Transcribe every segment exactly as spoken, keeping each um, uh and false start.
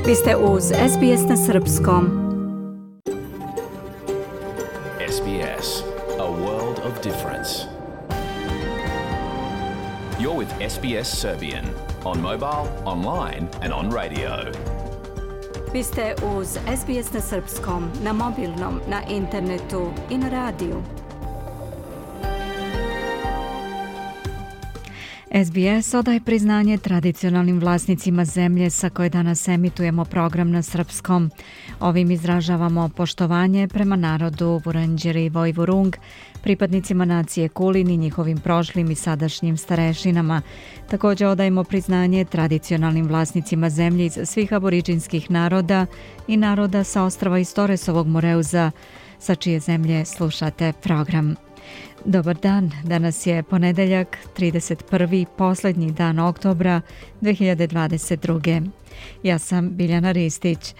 Vi ste uz S B S na srpskom. S B S, a world of difference. You're with S B S Serbian on mobile, online and on radio. Vi ste uz S B S na srpskom, na mobilnom, na internetu i na radiju. S B S odaje priznanje tradicionalnim vlasnicima zemlje sa koje danas emitujemo program na srpskom. Ovim izražavamo poštovanje prema narodu Vuranđeri i Vojvurung, pripadnicima nacije Kulin i njihovim prošlim i sadašnjim starešinama. Također odajemo priznanje tradicionalnim vlasnicima zemlje iz svih aboriđinskih naroda i naroda sa ostrava iz Torresovog Moreuza, sa čije zemlje slušate program. Dobar dan, danas je ponedeljak, trideset prvi posljednji dan oktobra dve hiljade dvadeset druge. Ja sam Biljana Ristić.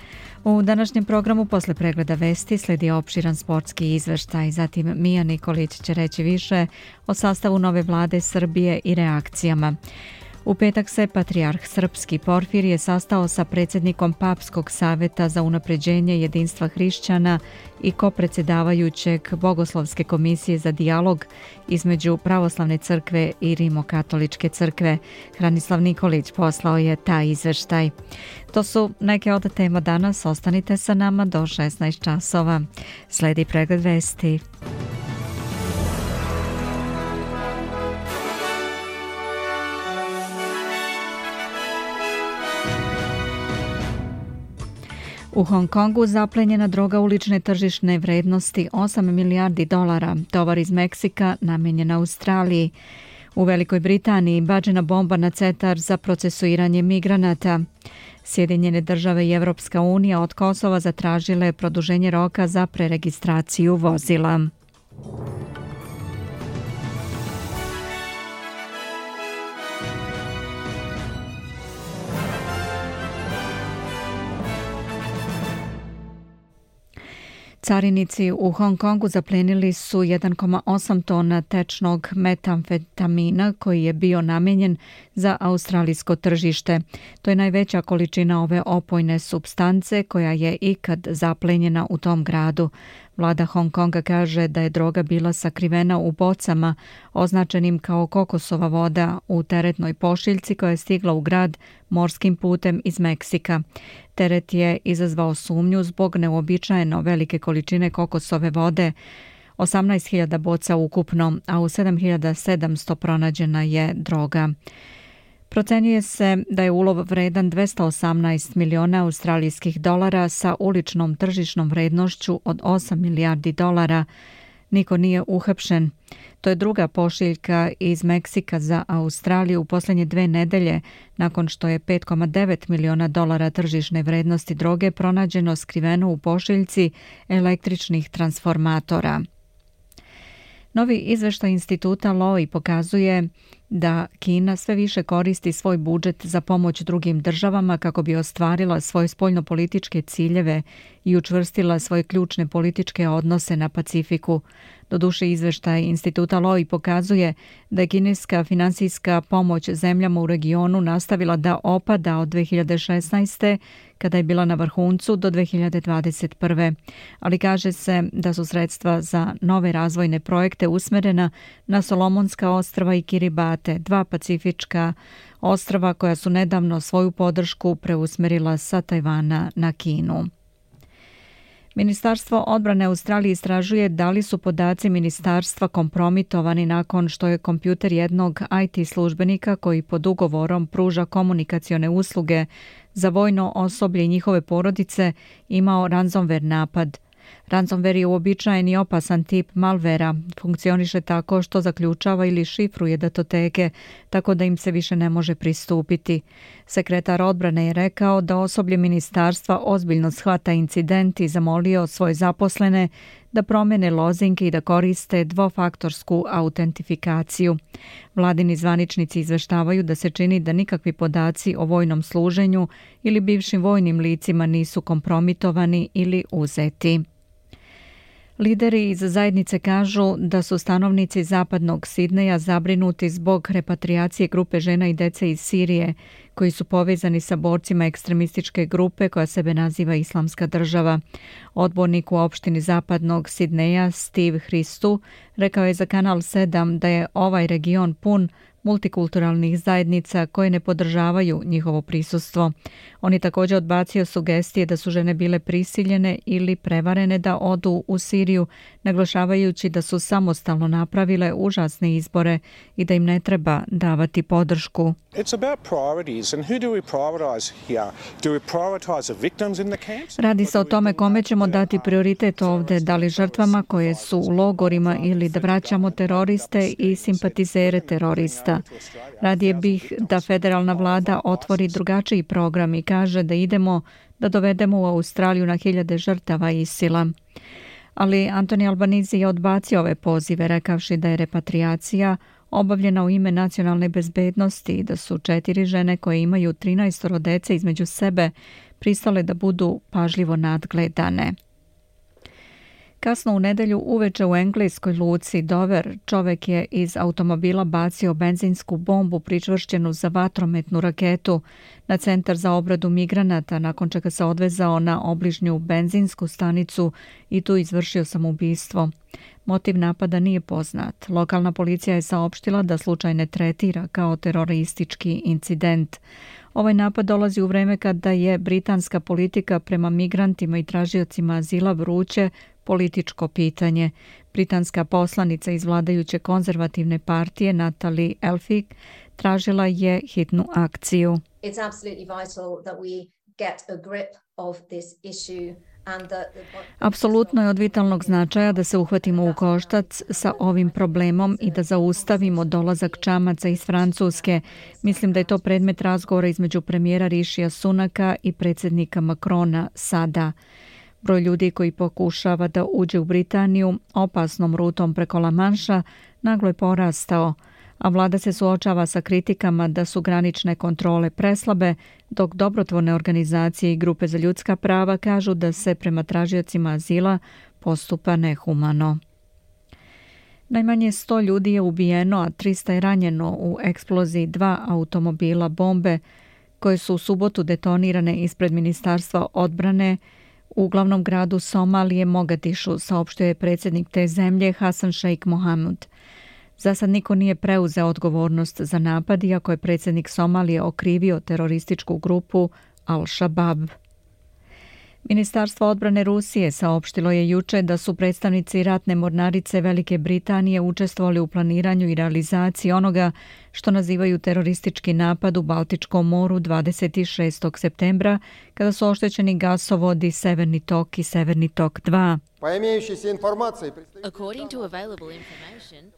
U današnjem programu posle pregleda vesti sledi opširan sportski izveštaj, zatim Mija Nikolić će reći više o sastavu nove vlade Srbije i reakcijama. U petak se patrijarh srpski Porfirije sastao sa predsjednikom Papskog saveta za unapređenje jedinstva hrišćana i kopredsjedavajućeg Bogoslovske komisije za dijalog između Pravoslavne crkve i Rimokatoličke crkve. Hranislav Nikolić poslao je taj izveštaj. To su neke od tema danas. Ostanite sa nama do šesnaest časova. Sledi pregled vesti. U Hong Kongu zaplenjena droga ulične tržišne vrednosti osam milijardi dolara, tovar iz Meksika namenjen Australiji. U Velikoj Britaniji bačena bomba na centar za procesuiranje migranata. Sjedinjene države i Evropska unija od Kosova zatražile produženje roka za preregistraciju vozila. Carinici u Hong Kongu zaplenili su jedan zarez osam tona tečnog metamfetamina koji je bio namijenjen za australijsko tržište. To je najveća količina ove opojne supstance koja je ikad zaplenjena u tom gradu. Vlada Hong Konga kaže da je droga bila sakrivena u bocama označenim kao kokosova voda u teretnoj pošiljci koja je stigla u grad morskim putem iz Meksika. Teret je izazvao sumnju zbog neuobičajeno velike količine kokosove vode, osamnaest hiljada boca ukupno, a u sedam hiljada sedamsto pronađena je droga. Procenjuje se da je ulov vredan dvesta osamnaest miliona australijskih dolara sa uličnom tržišnom vrednošću od osam milijardi dolara. Niko nije uhapšen. To je druga pošiljka iz Meksika za Australiju u posljednje dve nedelje, nakon što je pet zarez devet miliona dolara tržišne vrednosti droge pronađeno skriveno u pošiljci električnih transformatora. Novi izveštaj instituta Lowy pokazuje da Kina sve više koristi svoj budžet za pomoć drugim državama kako bi ostvarila svoje spoljnopolitičke ciljeve i učvrstila svoje ključne političke odnose na Pacifiku. Doduše, izveštaj instituta Lowy pokazuje da je kineska finansijska pomoć zemljama u regionu nastavila da opada od dve hiljade šesnaeste. kada je bila na vrhuncu do dve hiljade dvadeset prve. Ali kaže se da su sredstva za nove razvojne projekte usmerena na Solomonska ostrva i Kiribati, dva pacifička ostrva koja su nedavno svoju podršku preusmerila sa Tajvana na Kinu. Ministarstvo odbrane Australije istražuje da li su podaci ministarstva kompromitovani nakon što je kompjuter jednog I T službenika koji pod ugovorom pruža komunikacione usluge za vojno osoblje i njihove porodice imao ransomware napad. Ransomware je uobičajen i opasan tip malvera. Funkcioniše tako što zaključava ili šifruje datoteke, tako da im se više ne može pristupiti. Sekretar odbrane je rekao da osoblje ministarstva ozbiljno shvata incident i zamolio svoje zaposlene da promene lozinke i da koriste dvofaktorsku autentifikaciju. Vladini zvaničnici izveštavaju da se čini da nikakvi podaci o vojnom služenju ili bivšim vojnim licima nisu kompromitovani ili uzeti. Lideri iz zajednice kažu da su stanovnici zapadnog Sidneja zabrinuti zbog repatriacije grupe žena i dece iz Sirije, koji su povezani sa borcima ekstremističke grupe koja sebe naziva Islamska država. Odbornik u opštini zapadnog Sidneja Steve Hristu rekao je za Kanal sedam da je ovaj region pun multikulturalnih zajednica koje ne podržavaju njihovo prisustvo. On je također odbacio sugestije da su žene bile prisiljene ili prevarene da odu u Siriju, naglašavajući da su samostalno napravile užasne izbore i da im ne treba davati podršku. Radi se o tome kome ćemo dati prioritet ovdje, da li žrtvama koje su u logorima ili da vraćamo teroriste i simpatizere terorista. Radije bih da federalna vlada otvori drugačiji program i kaže da idemo da dovedemo u Australiju na hiljade žrtava ISIL-a. Ali Anthony Albanese je odbacio ove pozive, rekavši da je repatriacija obavljena u ime nacionalne bezbednosti i da su četiri žene koje imaju trinaest dece između sebe pristale da budu pažljivo nadgledane. Kasno u nedelju uveče u engleskoj luci Dover čovek je iz automobila bacio benzinsku bombu pričvršćenu za vatrometnu raketu na centar za obradu migranata, nakon čega se odvezao na obližnju benzinsku stanicu i tu izvršio samoubistvo. Motiv napada nije poznat. Lokalna policija je saopštila da slučaj ne tretira kao teroristički incident. Ovaj napad dolazi u vreme kada je britanska politika prema migrantima i tražiocima azila vruće političko pitanje. Britanska poslanica iz vladajuće konzervativne partije Natalie Elphicke tražila je hitnu akciju. It's absolutely vital that we get a grip of this issue. Apsolutno je od vitalnog značaja da se uhvatimo u koštac sa ovim problemom i da zaustavimo dolazak čamaca iz Francuske. Mislim da je to predmet razgovora između premijera Rišija Sunaka i predsjednika Macrona sada. Broj ljudi koji pokušava da uđe u Britaniju opasnom rutom preko La Manša naglo je porastao, a vlada se suočava sa kritikama da su granične kontrole preslabe, dok dobrotvorne organizacije i grupe za ljudska prava kažu da se prema tražiocima azila postupa nehumano. Najmanje sto ljudi je ubijeno, a trista je ranjeno u eksploziji dva automobila bombe koje su u subotu detonirane ispred Ministarstva odbrane u glavnom gradu Somalije Mogadišu, saopštio je predsjednik te zemlje Hasan Sheikh Mohamud. Za sad niko nije preuzeo odgovornost za napad, iako je predsjednik Somalije okrivio terorističku grupu Al-Shabaab. Ministarstvo odbrane Rusije saopštilo je juče da su predstavnici ratne mornarice Velike Britanije učestvovali u planiranju i realizaciji onoga što nazivaju teroristički napad u Baltičkom moru dvadeset šestog septembra, kada su oštećeni gasovodi Severni tok i Severni tok dva.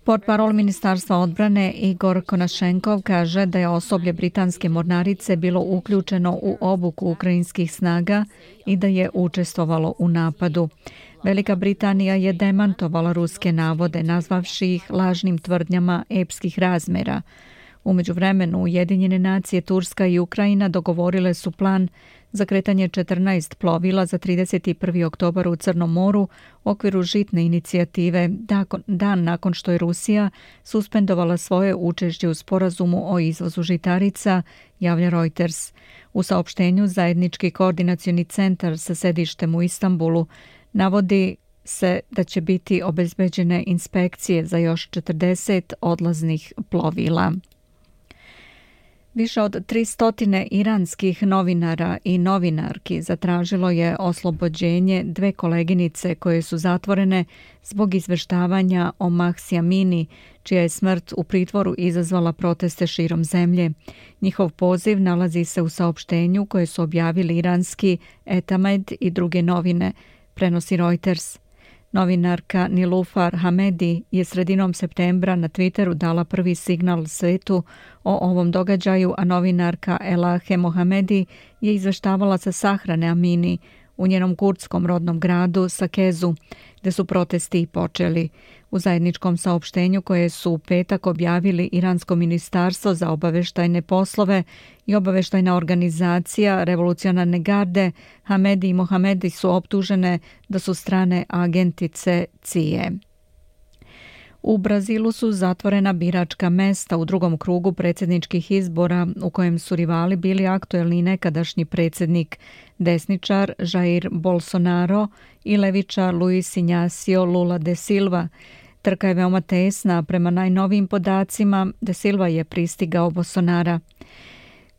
Portparol Ministarstva odbrane Igor Konašenkov kaže da je osoblje britanske mornarice bilo uključeno u obuku ukrajinskih snaga i da je učestvovalo u napadu. Velika Britanija je demantovala ruske navode, nazvavši ih lažnim tvrdnjama epskih razmera. U međuvremenu Ujedinjene nacije, Turska i Ukrajina dogovorile su plan za kretanje četrnaest plovila za trideset prvi oktobar u Crnom moru u okviru žitne inicijative, dan nakon što je Rusija suspendovala svoje učešće u sporazumu o izvozu žitarica, javlja Reuters. U saopštenju zajednički koordinacioni centar sa sedištem u Istanbulu navodi se da će biti obezbeđene inspekcije za još četrdeset odlaznih plovila. Više od tristo iranskih novinara i novinarki zatražilo je oslobođenje dve koleginice koje su zatvorene zbog izveštavanja o Mahsi Amini, čija je smrt u pritvoru izazvala proteste širom zemlje. Njihov poziv nalazi se u saopštenju koje su objavili iranski Etamed i druge novine, prenosi Reuters. Novinarka Nilufar Hamedi je sredinom septembra na Twitteru dala prvi signal svetu o ovom događaju, a novinarka Elahe Mohamedi je izveštavala sa sahrane Amini u njenom kurdskom rodnom gradu Sakezu, gde su protesti i počeli. U zajedničkom saopštenju koje su u petak objavili Iransko ministarstvo za obaveštajne poslove i obaveštajna organizacija Revolucionarne garde, Hamedi i Mohamedi su optužene da su strane agentice C I E. U Brazilu su zatvorena biračka mesta u drugom krugu predsjedničkih izbora u kojem su rivali bili aktuelni nekadašnji predsjednik desničar Jair Bolsonaro i levičar Luis Inácio Lula da Silva. Trka je veoma tesna, prema najnovijim podacima da Silva je pristigao Bolsonara.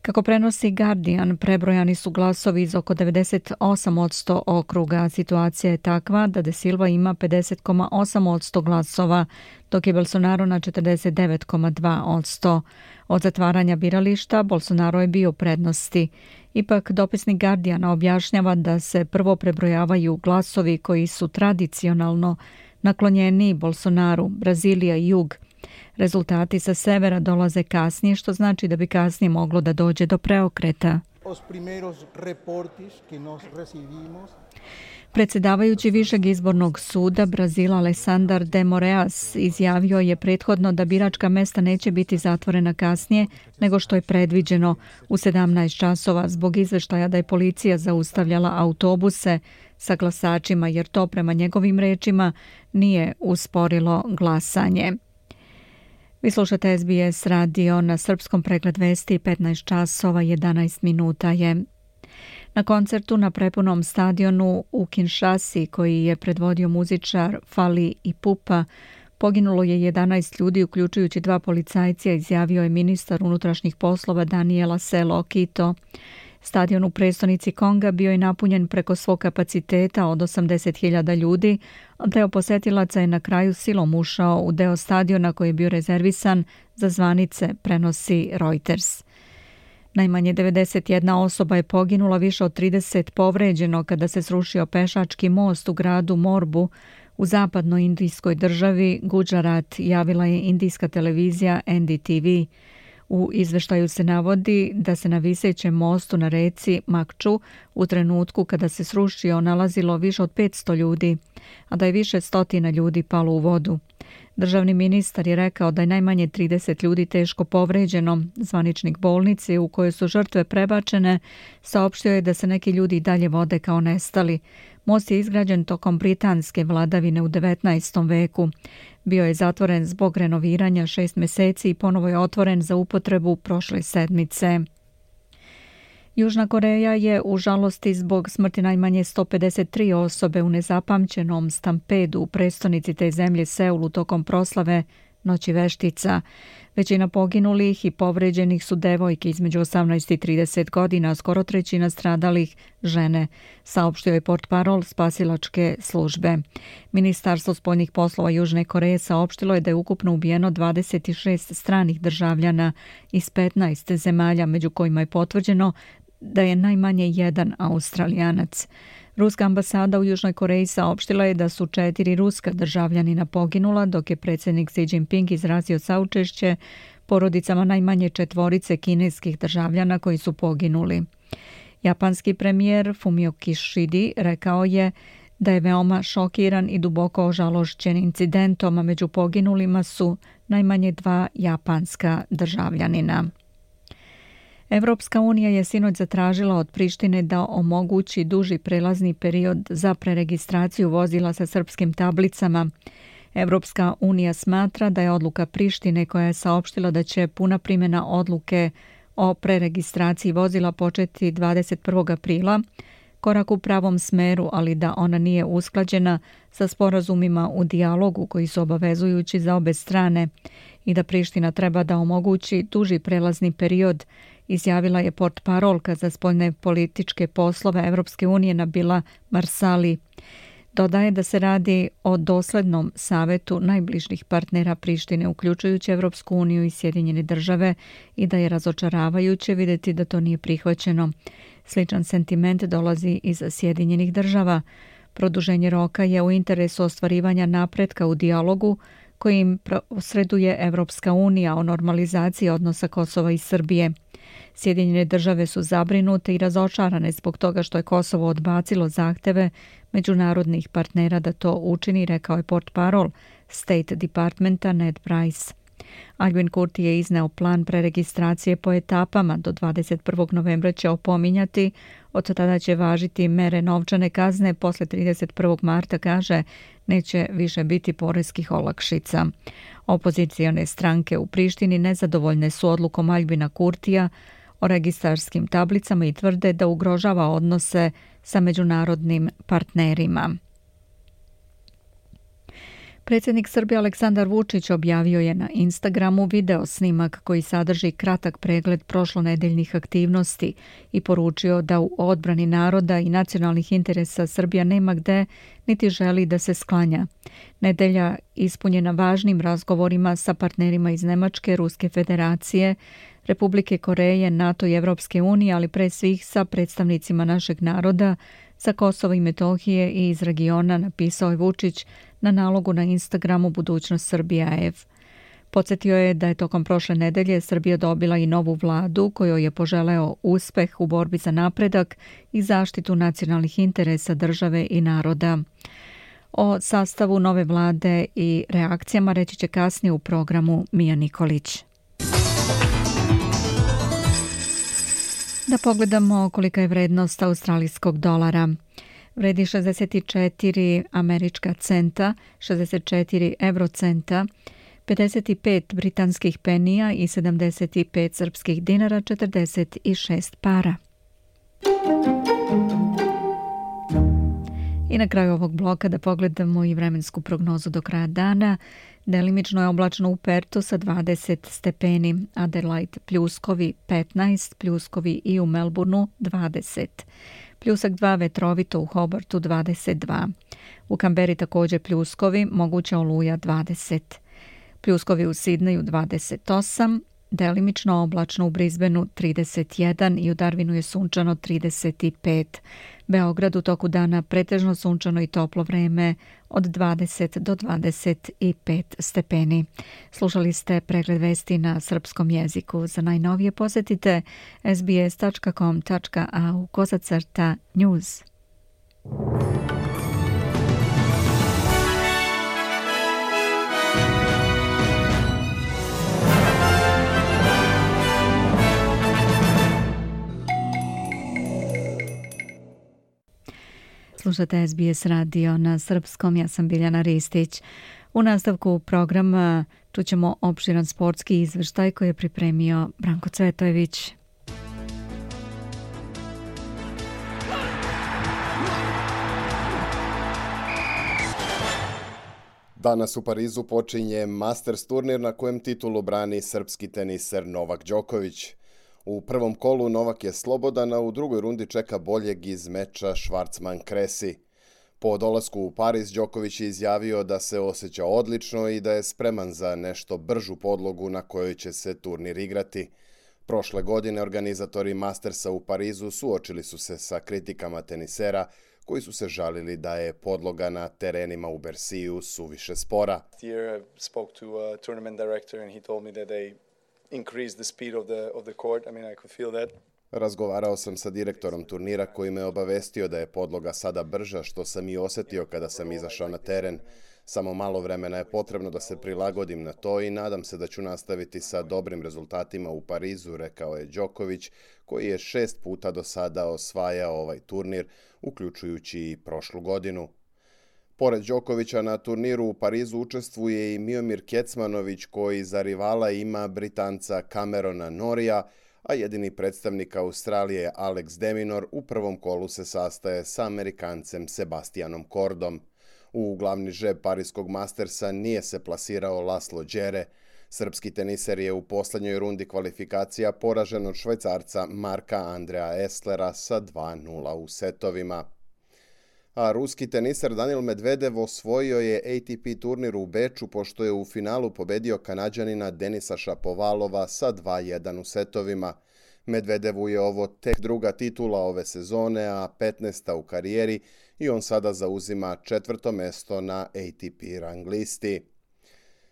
Kako prenosi Guardian, prebrojani su glasovi iz oko devedeset osam posto okruga. Situacija je takva da De Silva ima pedeset zarez osam posto glasova, dok je Bolsonaro na četrdeset devet zarez dva posto. Od zatvaranja birališta Bolsonaro je bio u prednosti. Ipak dopisnik Guardiana objašnjava da se prvo prebrojavaju glasovi koji su tradicionalno naklonjeni Bolsonaru, Brazilija i jug. Rezultati sa severa dolaze kasnije, što znači da bi kasnije moglo da dođe do preokreta. Predsjedavajući Višeg izbornog suda Brazila Alessandar de Moraes izjavio je prethodno da biračka mesta neće biti zatvorena kasnije nego što je predviđeno u sedamnaest časova zbog izveštaja da je policija zaustavljala autobuse sa glasačima jer to prema njegovim rečima nije usporilo glasanje. Vi slušate S B S radio na srpskom, pregled vesti, petnaest časova jedanaest minuta je. Na koncertu na prepunom stadionu u Kinshasi koji je predvodio muzičar Fally Ipupa poginulo je jedanaest ljudi uključujući dva policajca, izjavio je ministar unutrašnjih poslova Daniela Selo Kito. Stadion u prestonici Konga bio je napunjen preko svog kapaciteta od osamdeset hiljada ljudi, a deo posetilaca je na kraju silom ušao u deo stadiona koji je bio rezervisan za zvanice, prenosi Reuters. Najmanje devedeset jedna osoba je poginula, više od trideset povređeno kada se srušio pešački most u gradu Morbu u zapadnoj indijskoj državi Gujarat, javila je indijska televizija N D T V. U izveštaju se navodi da se na visećem mostu na reci Makču u trenutku kada se srušio nalazilo više od petsto ljudi, a da je više stotina ljudi palo u vodu. Državni ministar je rekao da je najmanje trideset ljudi teško povređeno. Zvaničnik bolnice u kojoj su žrtve prebačene saopštio je da se neki ljudi dalje vode kao nestali. Most je izgrađen tokom britanske vladavine u devetnaestom veku. Bio je zatvoren zbog renoviranja šest mjeseci i ponovo je otvoren za upotrebu prošle sedmice. Južna Koreja je u žalosti zbog smrti najmanje sto pedeset tri osobe u nezapamćenom stampedu u prestonici te zemlje Seulu tokom proslave Noći veštica. Većina poginulih i povređenih su devojke između osamnaest i trideset godina, a skoro trećina stradalih žene, saopštio je portparol spasilačke službe. Ministarstvo spoljnih poslova Južne Koreje saopštilo je da je ukupno ubijeno dvadeset šest stranih državljana iz petnaest zemalja, među kojima je potvrđeno da je najmanje jedan Australijanac. Ruska ambasada u Južnoj Koreji saopštila je da su četiri ruska državljanina poginula, dok je predsjednik Xi Jinping izrazio saučešće porodicama najmanje četvorice kineskih državljana koji su poginuli. Japanski premijer Fumio Kishida rekao je da je veoma šokiran i duboko ožalošćen incidentom, a među poginulima su najmanje dva japanska državljanina. Evropska unija je sinoć zatražila od Prištine da omogući duži prelazni period za preregistraciju vozila sa srpskim tablicama. Evropska unija smatra da je odluka Prištine, koja je saopštila da će puna primjena odluke o preregistraciji vozila početi dvadeset prvog aprila, korak u pravom smeru, ali da ona nije usklađena sa sporazumima u dijalogu koji su obavezujući za obe strane i da Priština treba da omogući duži prelazni period, izjavila je portparolka za spoljne političke poslove Evropske unije Nabila Marsali. Dodaje da se radi o doslednom savetu najbližih partnera Prištine, uključujući Evropsku uniju i Sjedinjene države, i da je razočaravajuće vidjeti da to nije prihvaćeno. Sličan sentiment dolazi iz Sjedinjenih država. Produženje roka je u interesu ostvarivanja napretka u dijalogu kojim posreduje Evropska unija o normalizaciji odnosa Kosova i Srbije. Sjedinjene države su zabrinute i razočarane zbog toga što je Kosovo odbacilo zahteve međunarodnih partnera da to učini, rekao je portparol State Departmenta Ned Price. Albin Kurti je izneo plan preregistracije po etapama. Do dvadeset prvog novembra će opominjati, od tada će važiti mere novčane kazne, posle trideset prvog marta, kaže, neće više biti poreskih olakšica. Opozicione stranke u Prištini nezadovoljne su odlukom Albina Kurtija o registarskim tablicama i tvrde da ugrožava odnose sa međunarodnim partnerima. Predsjednik Srbije Aleksandar Vučić objavio je na Instagramu video snimak koji sadrži kratak pregled prošlonedeljnih aktivnosti i poručio da u odbrani naroda i nacionalnih interesa Srbija nema gde niti želi da se sklanja. Nedelja ispunjena važnim razgovorima sa partnerima iz Nemačke, Ruske federacije, Republike Koreje, NATO i Evropske unije, ali pre svih sa predstavnicima našeg naroda, sa Kosova i Metohije i iz regiona, napisao je Vučić na nalogu na Instagramu Budućnost Srbije A F. Podsjetio je da je tokom prošle nedelje Srbija dobila i novu vladu kojoj je poželeo uspeh u borbi za napredak i zaštitu nacionalnih interesa države i naroda. O sastavu nove vlade i reakcijama reći će kasnije u programu Mija Nikolić. Da pogledamo kolika je vrednost australijskog dolara. Vredi šezdeset četiri američka centa, šezdeset četiri eurocenta, pedeset pet britanskih penija i sedamdeset pet srpskih dinara, četrdeset šest para. I na kraju ovog bloka da pogledamo i vremensku prognozu do kraja dana. Delimično je oblačno u Pertu sa dvadeset stepeni, Adelaide pljuskovi petnaest, pljuskovi i u Melbourneu dvadeset. Pljusak dva vetrovito u Hobartu dvadeset dva. U Kamberi također pljuskovi, moguća oluja dvadeset. Pljuskovi u Sidneju dvadeset osam, delimično oblačno u Brisbaneu trideset jedan i u Darwinu je sunčano trideset pet. Beograd u toku dana pretežno sunčano i toplo vreme od dvadeset do dvadeset pet stepeni. Slušali ste pregled vesti na srpskom jeziku. Za najnovije posjetite es be es tačka com tačka a u kozacrta news. Slušate es be es radio na srpskom, ja sam Biljana Ristić. U nastavku programa čućemo opširan sportski izveštaj koji je pripremio Branko Cvetojević. Danas u Parizu počinje Masters turnir na kojem titulu brani srpski teniser Novak Đoković. U prvom kolu Novak je slobodan, a u drugoj rundi čeka boljeg iz meča Schwarzman-Kresi. Po dolasku u Pariz, Đoković je izjavio da se osjeća odlično i da je spreman za nešto bržu podlogu na kojoj će se turnir igrati. Prošle godine organizatori Mastersa u Parizu suočili su se sa kritikama tenisera koji su se žalili da je podloga na terenima u Berciju suviše spora. increase the speed of the of the court. I mean, I could feel that. Razgovarao sam sa direktorom turnira koji me obavestio da je podloga sada brža, što sam i osjetio kada sam izašao na teren. Samo malo vremena je potrebno da se prilagodim na to i nadam se da ću nastaviti sa dobrim rezultatima u Parizu, rekao je Đoković, koji je šest puta do sada osvajao ovaj turnir, uključujući i prošlu godinu. Pored Đokovića na turniru u Parizu učestvuje i Miomir Kecmanović koji za rivala ima Britanca Camerona Norrija, a jedini predstavnik Australije Alex de Minaur u prvom kolu se sastaje sa Amerikancem Sebastianom Cordom. U glavni žreb Pariskog Mastersa nije se plasirao Laslo Đere. Srpski teniser je u posljednjoj rundi kvalifikacija poražen od Švajcarca Marka Andrea Esslera sa dva nula u setovima. A ruski teniser Daniil Medvedev osvojio je A T P turnir u Beču pošto je u finalu pobedio Kanađanina Denisa Šapovalova sa dva jedan u setovima. Medvedevu je ovo tek druga titula ove sezone, a petnaesta u karijeri i on sada zauzima četvrto mesto na A T P rang listi.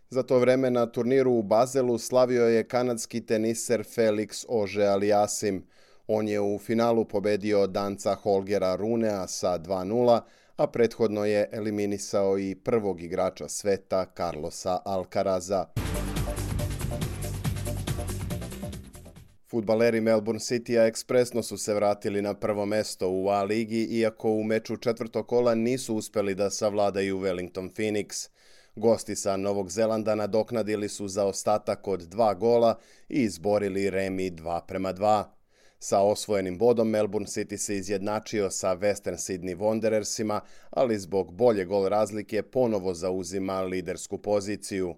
Za to vreme na turniru u Bazelu slavio je kanadski teniser Felix Auger-Aliassime. On je u finalu pobedio Danca Holgera Runea sa dva nula, a prethodno je eliminisao i prvog igrača sveta Carlosa Alcaraza. Fudbaleri Melbourne Citya ekspresno su se vratili na prvo mesto u A ligi, iako u meču četvrtog kola nisu uspeli da savladaju Wellington Phoenix. Gosti sa Novog Zelanda nadoknadili su zaostatak od dva gola i izborili remi dva prema dva. Sa osvojenim bodom Melbourne City se izjednačio sa Western Sydney Wanderersima, ali zbog bolje gol razlike ponovo zauzima lidersku poziciju.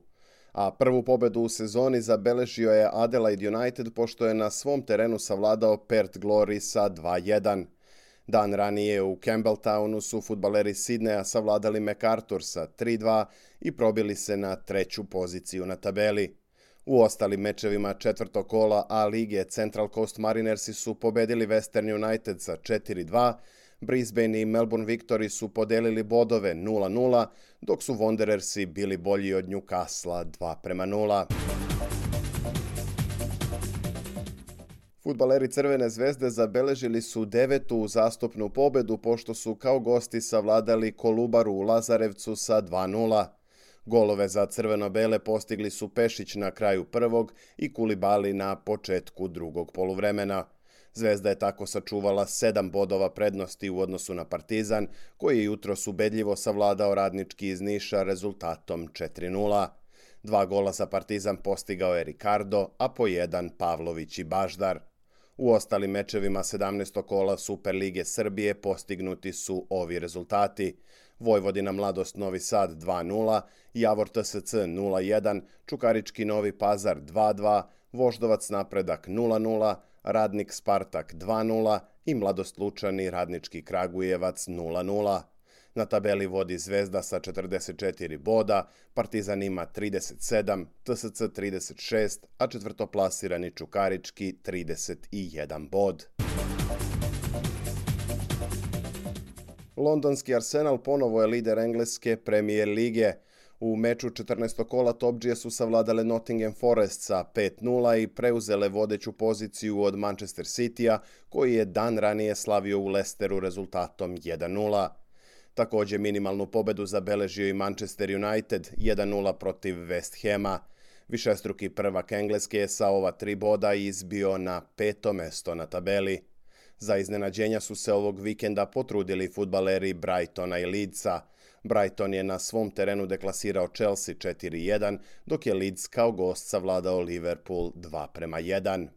A prvu pobedu u sezoni zabeležio je Adelaide United pošto je na svom terenu savladao Perth Glory sa dva jedan. Dan ranije u Campbelltownu su fudbaleri Sidneja savladali MacArthur sa tri dva i probili se na treću poziciju na tabeli. U ostalim mečevima četvrtog kola A lige Central Coast Marinersi su pobedili Western United sa četiri dva, Brisbane i Melbourne Victory su podelili bodove nula nula, dok su Wanderersi bili bolji od Newcastle dva prema nula. Fudbaleri Crvene zvezde zabeležili su devetu uzastopnu pobedu pošto su kao gosti savladali Kolubaru u Lazarevcu sa dva nula. Golove za crveno-bele postigli su Pešić na kraju prvog i Kulibali na početku drugog poluvremena. Zvezda je tako sačuvala sedam bodova prednosti u odnosu na Partizan, koji je jutros ubedljivo savladao Radnički iz Niša rezultatom četiri nula. Dva gola za Partizan postigao je Ricardo, a po jedan Pavlović i Baždar. U ostalim mečevima sedamnaestog kola Superlige Srbije postignuti su ovi rezultati: Vojvodina Mladost Novi Sad dva nula, Javor T S C nula jedan, Čukarički Novi Pazar dva dva, Voždovac Napredak nula nula, Radnik Spartak dva nula i Mladost Lučani Radnički Kragujevac nula nula. Na tabeli vodi Zvezda sa četrdeset četiri boda, Partizan ima trideset sedam, T S C trideset šest, a četvrtoplasirani Čukarički trideset jedan bod. Londonski Arsenal ponovo je lider engleske Premier lige. U meču četrnaestog kola topdžije su savladale Nottingham Forest sa pet nula i preuzele vodeću poziciju od Manchester Cityja, koji je dan ranije slavio u Leicesteru rezultatom jedan nula. Također minimalnu pobedu zabeležio i Manchester United jedan nula protiv West Hama. Višestruki prvak Engleske je sa ova tri boda izbio na peto mesto na tabeli. Za iznenađenja su se ovog vikenda potrudili fudbaleri Brightona i Leedsa. Brighton je na svom terenu deklasirao Chelsea četiri jedan, dok je Leeds kao gost savladao Liverpool dva prema jedan.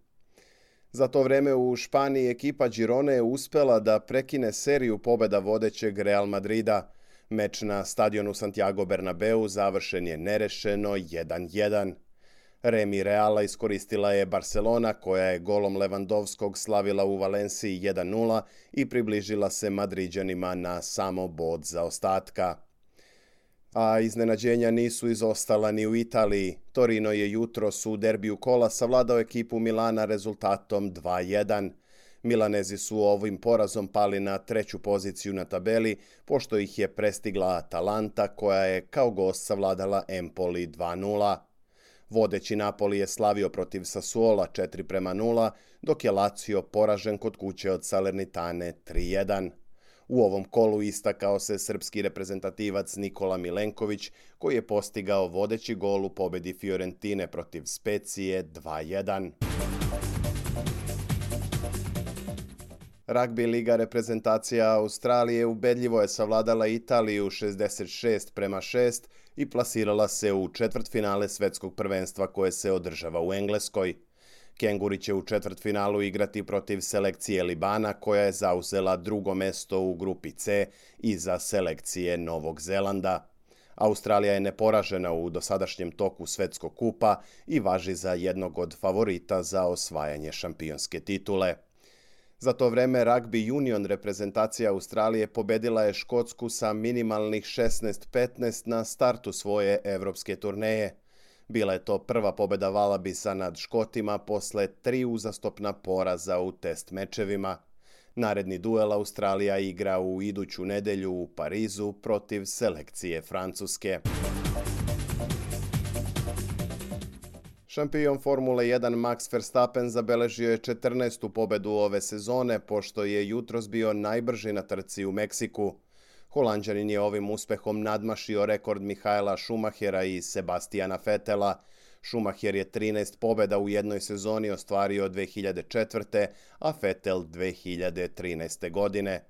Za to vreme u Španiji ekipa Girone je uspela da prekine seriju pobeda vodećeg Real Madrida. Meč na stadionu Santiago Bernabeu završen je nerešeno jedan jedan. Remi Reala iskoristila je Barcelona, koja je golom Lewandowskog slavila u Valenciji jedan nula i približila se Madriđanima na samo bod zaostatka. A iznenađenja nisu izostala ni u Italiji. Torino je jutros u derbiju kola savladao ekipu Milana rezultatom dva jedan. Milanezi su ovim porazom pali na treću poziciju na tabeli, pošto ih je prestigla Atalanta, koja je kao gost savladala Empoli dva nula. Vodeći Napoli je slavio protiv Sassuola četiri prema nula, dok je Lazio poražen kod kuće od Salernitane tri jedan. U ovom kolu istakao se srpski reprezentativac Nikola Milenković, koji je postigao vodeći gol u pobedi Fiorentine protiv Specije dva jedan. Ragbi liga reprezentacija Australije ubedljivo je savladala Italiju šezdeset šest prema šest i plasirala se u četvrtfinale svetskog prvenstva koje se održava u Engleskoj. Kenguri će u četvrtfinalu igrati protiv selekcije Libana, koja je zauzela drugo mesto u grupi C iza selekcije Novog Zelanda. Australija je neporažena u dosadašnjem toku svetskog kupa i važi za jednog od favorita za osvajanje šampionske titule. Za to vreme Rugby Union reprezentacija Australije pobedila je Škotsku sa minimalnih šesnaest petnaest na startu svoje evropske turneje. Bila je to prva pobeda Valabisa nad Škotima posle tri uzastopna poraza u test mečevima. Naredni duel Australija igra u iduću nedelju u Parizu protiv selekcije Francuske. Šampion Formule jedan Max Verstappen zabeležio je četrnaestu pobedu ove sezone, pošto je jutros bio najbrži na trci u Meksiku. Holanđanin je ovim uspehom nadmašio rekord Michaela Schumachera i Sebastiana Vettela. Schumacher je trinaest pobeda u jednoj sezoni ostvario dve hiljade četvrte. a Vettel dve hiljade trinaeste. godine.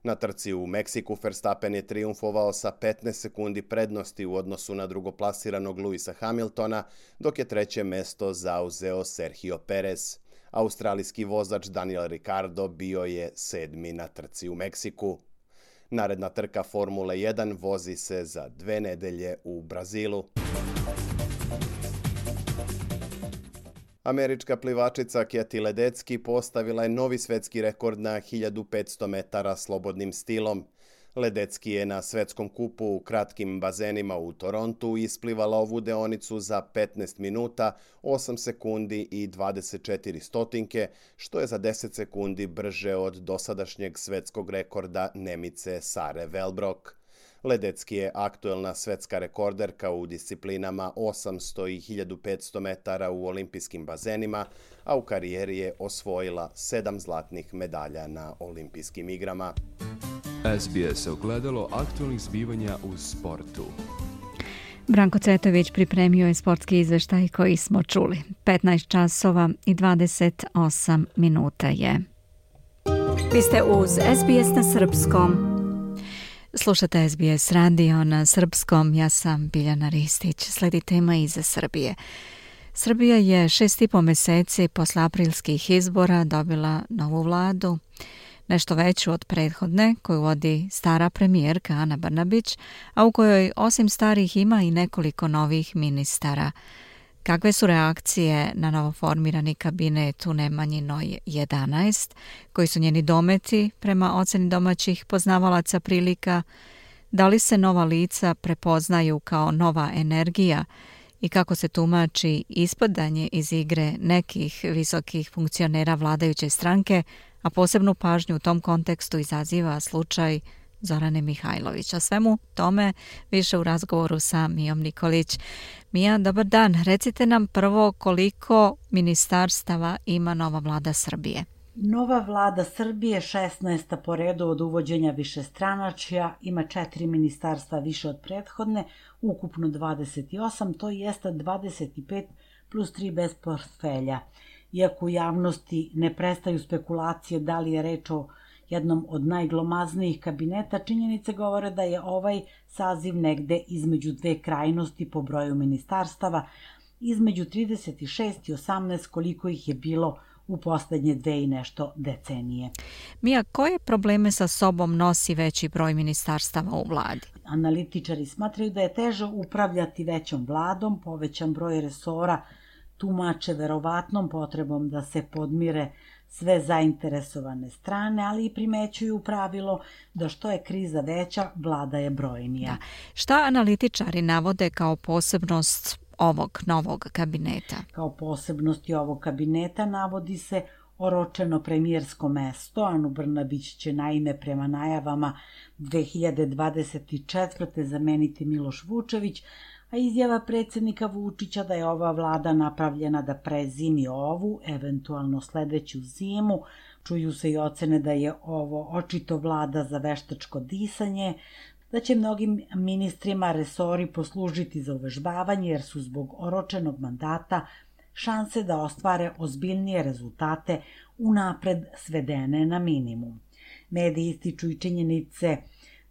Na trci u Meksiku Verstappen je triumfovao sa petnaest sekundi prednosti u odnosu na drugoplasiranog Lewisa Hamiltona, dok je treće mesto zauzeo Sergio Perez. Australijski vozač Daniel Ricciardo bio je sedmi na trci u Meksiku. Naredna trka Formule jedan vozi se za dve nedelje u Brazilu. Američka plivačica Katie Ledecky postavila je novi svetski rekord na hiljadu petsto metara slobodnim stilom. Ledecky je na svetskom kupu u kratkim bazenima u Torontu isplivala ovu deonicu za petnaest minuta, osam sekundi i dvadeset četiri stotinke, što je za deset sekundi brže od dosadašnjeg svetskog rekorda Nemice Sare Velbrok. Ledecky je aktuelna svetska rekorderka u disciplinama osamsto i hiljadu petsto metara u olimpijskim bazenima, a u karijeri je osvojila sedam zlatnih medalja na olimpijskim igrama. S B S ogledalo aktualnih zbivanja u sportu. Branko Cvetović pripremio je sportski izveštaj koji smo čuli. petnaest časova i dvadeset osam minuta je. Vi ste uz S B S na srpskom. Slušate S B S radio na srpskom, ja sam Biljana Ristić. Sledi tema iza Srbije. Srbija je šest i po meseci posle aprilskih izbora dobila novu vladu, nešto veću od prethodne koju vodi stara premijerka Ana Brnabić, a u kojoj osim starih ima i nekoliko novih ministara. Kakve su reakcije na novoformirani kabinet u Nemanjinoj jedanaest, koji su njeni dometi prema oceni domaćih poznavalaca prilika? Da li se nova lica prepoznaju kao nova energija i kako se tumači ispadanje iz igre nekih visokih funkcionera vladajuće stranke, a posebnu pažnju u tom kontekstu izaziva slučaj Zorane Mihajlović. O svemu tome više u razgovoru sa Mijom Nikolić. Mija, dobar dan. Recite nam prvo koliko ministarstava ima nova vlada Srbije. Nova vlada Srbije, šesnaesta po redu od uvođenja višestranačja, ima četiri ministarstva više od prethodne, ukupno dvadeset osam, to jeste dvadeset pet plus tri bez portfelja. Iako u javnosti ne prestaju spekulacije da li je reč o jednom od najglomaznijih kabineta, činjenice govore da je ovaj saziv negde između dve krajnosti po broju ministarstava, između trideset šest i osamnaest koliko ih je bilo u poslednje dve i nešto decenije. Mija, koje probleme sa sobom nosi veći broj ministarstava u vladi? Analitičari smatraju da je teže upravljati većom vladom, povećan broj resora tumače verovatnom potrebom da se podmire sve zainteresovane strane, ali i primećuju pravilo da što je kriza veća, vlada je brojnija. Da. Šta analitičari navode kao posebnost ovog novog kabineta? Kao posebnosti ovog kabineta navodi se oročeno premijersko mesto. Anu Brnabić će naime prema najavama dve hiljade dvadeset četvrte zameniti Miloš Vučević, a izjava predsjednika Vučića da je ova vlada napravljena da prezimi ovu, eventualno sledeću zimu. Čuju se i ocene da je ovo očito vlada za veštačko disanje, da će mnogim ministrima resori poslužiti za uvežbavanje jer su zbog oročenog mandata šanse da ostvare ozbiljnije rezultate unapred svedene na minimum. Mediji ističu i činjenice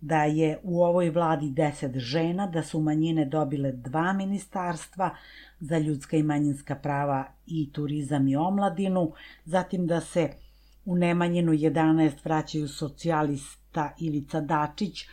da je u ovoj vladi deset žena, da su manjine dobile dva ministarstva za ljudska i manjinska prava i turizam i omladinu, zatim da se u Nemanjinu jedanaest vraćaju socijalista Ivica Dačić,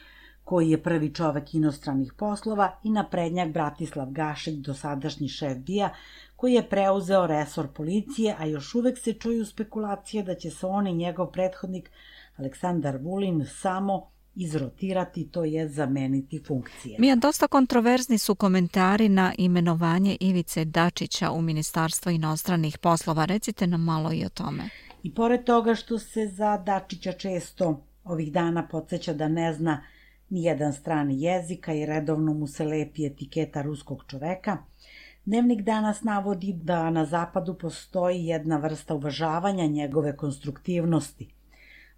koji je prvi čovek inostranih poslova, i naprednjak Bratislav Gašić, dosadašnji šef B I A, koji je preuzeo resor policije, a još uvek se čuju spekulacije da će se on i njegov prethodnik Aleksandar Vulin samo izrotirati, to je zameniti funkcije. Mija, dosta kontroverzni su komentari na imenovanje Ivice Dačića u Ministarstvo inostranih poslova. Recite nam malo i o tome. I pored toga što se za Dačića često ovih dana podsjeća da ne zna nijedan strani jezika i redovno mu se lepi etiketa ruskog čoveka, Dnevnik danas navodi da na zapadu postoji jedna vrsta uvažavanja njegove konstruktivnosti.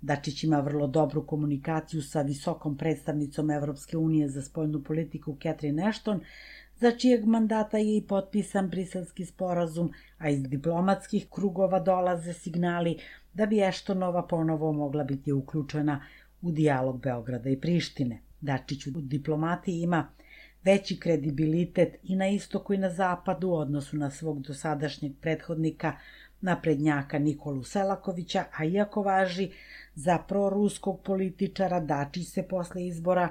Dačić ima vrlo dobru komunikaciju sa visokom predstavnicom Evropske unije za spoljnu politiku Catherine Ashton, za čijeg mandata je i potpisan Briselski sporazum, a iz diplomatskih krugova dolaze signali da bi Ashtonova ponovo mogla biti uključena u dijalog Beograda i Prištine. Dačić u diplomatiji ima veći kredibilitet i na istoku i na zapadu u odnosu na svog dosadašnjeg prethodnika, naprednjaka Nikolu Selakovića, a iako važi za proruskog političara, Dačić se posle izbora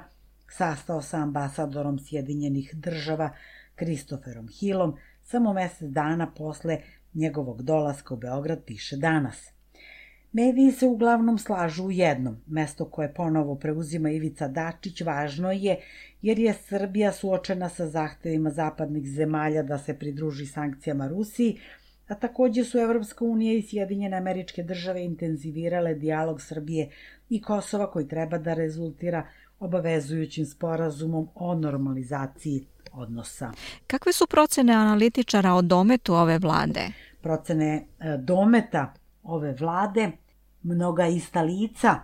sastao sa ambasadorom Sjedinjenih država Kristoferom Hillom samo mesec dana posle njegovog dolaska u Beograd, piše Danas. Mediji se uglavnom slažu u jednom. Mesto koje ponovo preuzima Ivica Dačić važno je jer je Srbija suočena sa zahtevima zapadnih zemalja da se pridruži sankcijama Rusiji, a takođe su Evropska unija i Sjedinjene Američke Države intenzivirale dijalog Srbije i Kosova koji treba da rezultira obavezujućim sporazumom o normalizaciji odnosa. Kakve su procene analitičara o dometu ove vlade? Procene dometa ove vlade, mnoga ista lica,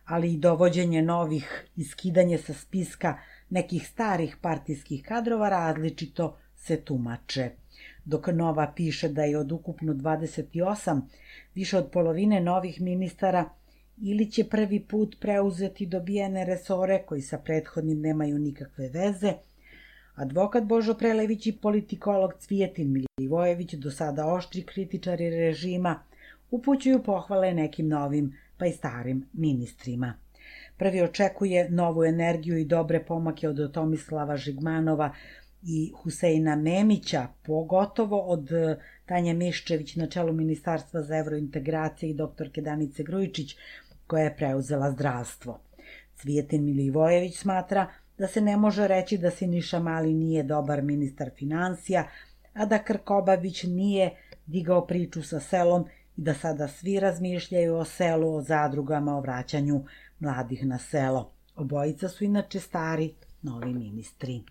ali i dovođenje novih i skidanje sa spiska nekih starih partijskih kadrova različito se tumače. Dok Nova piše da je od ukupno dvadeset osam više od polovine novih ministara ili će prvi put preuzeti dobijene resore koji sa prethodnim nemaju nikakve veze, advokat Božo Prelević i politikolog Cvijetin Milivojević, do sada oštri kritičari režima, upućuju pohvale nekim novim pa i starim ministrima. Prvi očekuje novu energiju i dobre pomake od Tomislava Žigmanova i Huseina Memića, pogotovo od Tanje Miščević na čelu Ministarstva za evrointegracije i doktorke Danice Grujičić, koja je preuzela zdravstvo. Cvijetin Milivojević smatra da se ne može reći da Siniša Mali nije dobar ministar finansija, a da Krkobabić nije digao priču sa selom i da sada svi razmišljaju o selu, o zadrugama, o vraćanju mladih na selo. Obojica su inače stari, novi ministri.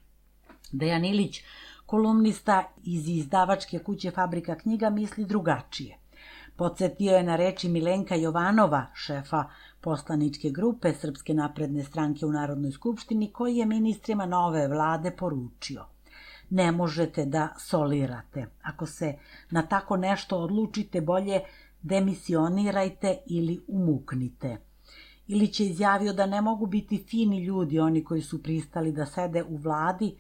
Dejan Ilić, kolumnista iz izdavačke kuće Fabrika knjiga, misli drugačije. Podsjetio je na reči Milenka Jovanova, šefa poslaničke grupe Srpske napredne stranke u Narodnoj skupštini, koji je ministrima nove vlade poručio: ne možete da solirate. Ako se na tako nešto odlučite, bolje demisionirajte ili umuknite. Ilić je izjavio da ne mogu biti fini ljudi oni koji su pristali da sede u vladi,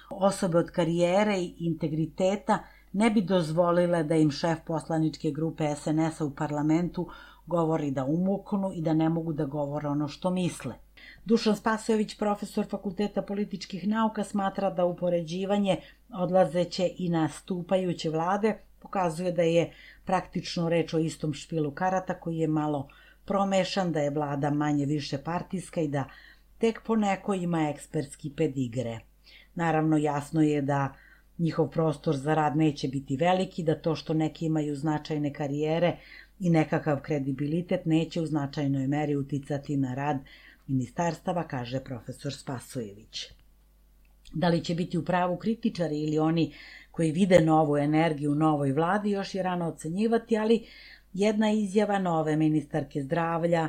osobe od karijere i integriteta ne bi dozvolile da im šef poslaničke grupe es en es a u parlamentu govori da umuknu i da ne mogu da govore ono što misle. Dušan Spasojević, profesor Fakulteta političkih nauka, smatra da upoređivanje odlazeće i nastupajuće vlade pokazuje da je praktično reč o istom špilu karata koji je malo promešan, da je vlada manje više partijska i da tek poneko ima ekspertski pedigre. Naravno, jasno je da njihov prostor za rad neće biti veliki, da to što neki imaju značajne karijere i nekakav kredibilitet neće u značajnoj meri uticati na rad ministarstava, kaže profesor Spasojević. Da li će biti u pravu kritičari ili oni koji vide novu energiju u novoj vladi, još je rano ocenjivati, ali jedna izjava nove ministarke zdravlja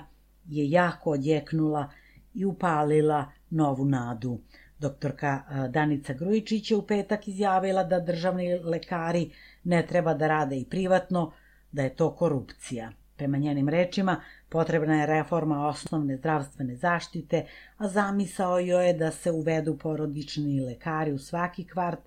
je jako odjeknula i upalila novu nadu. Doktorka Danica Grujičić je u petak izjavila da državni lekari ne treba da rade i privatno, da je to korupcija. Prema njenim rečima, potrebna je reforma osnovne zdravstvene zaštite, a zamisao joj je da se uvedu porodični lekari u svaki kvart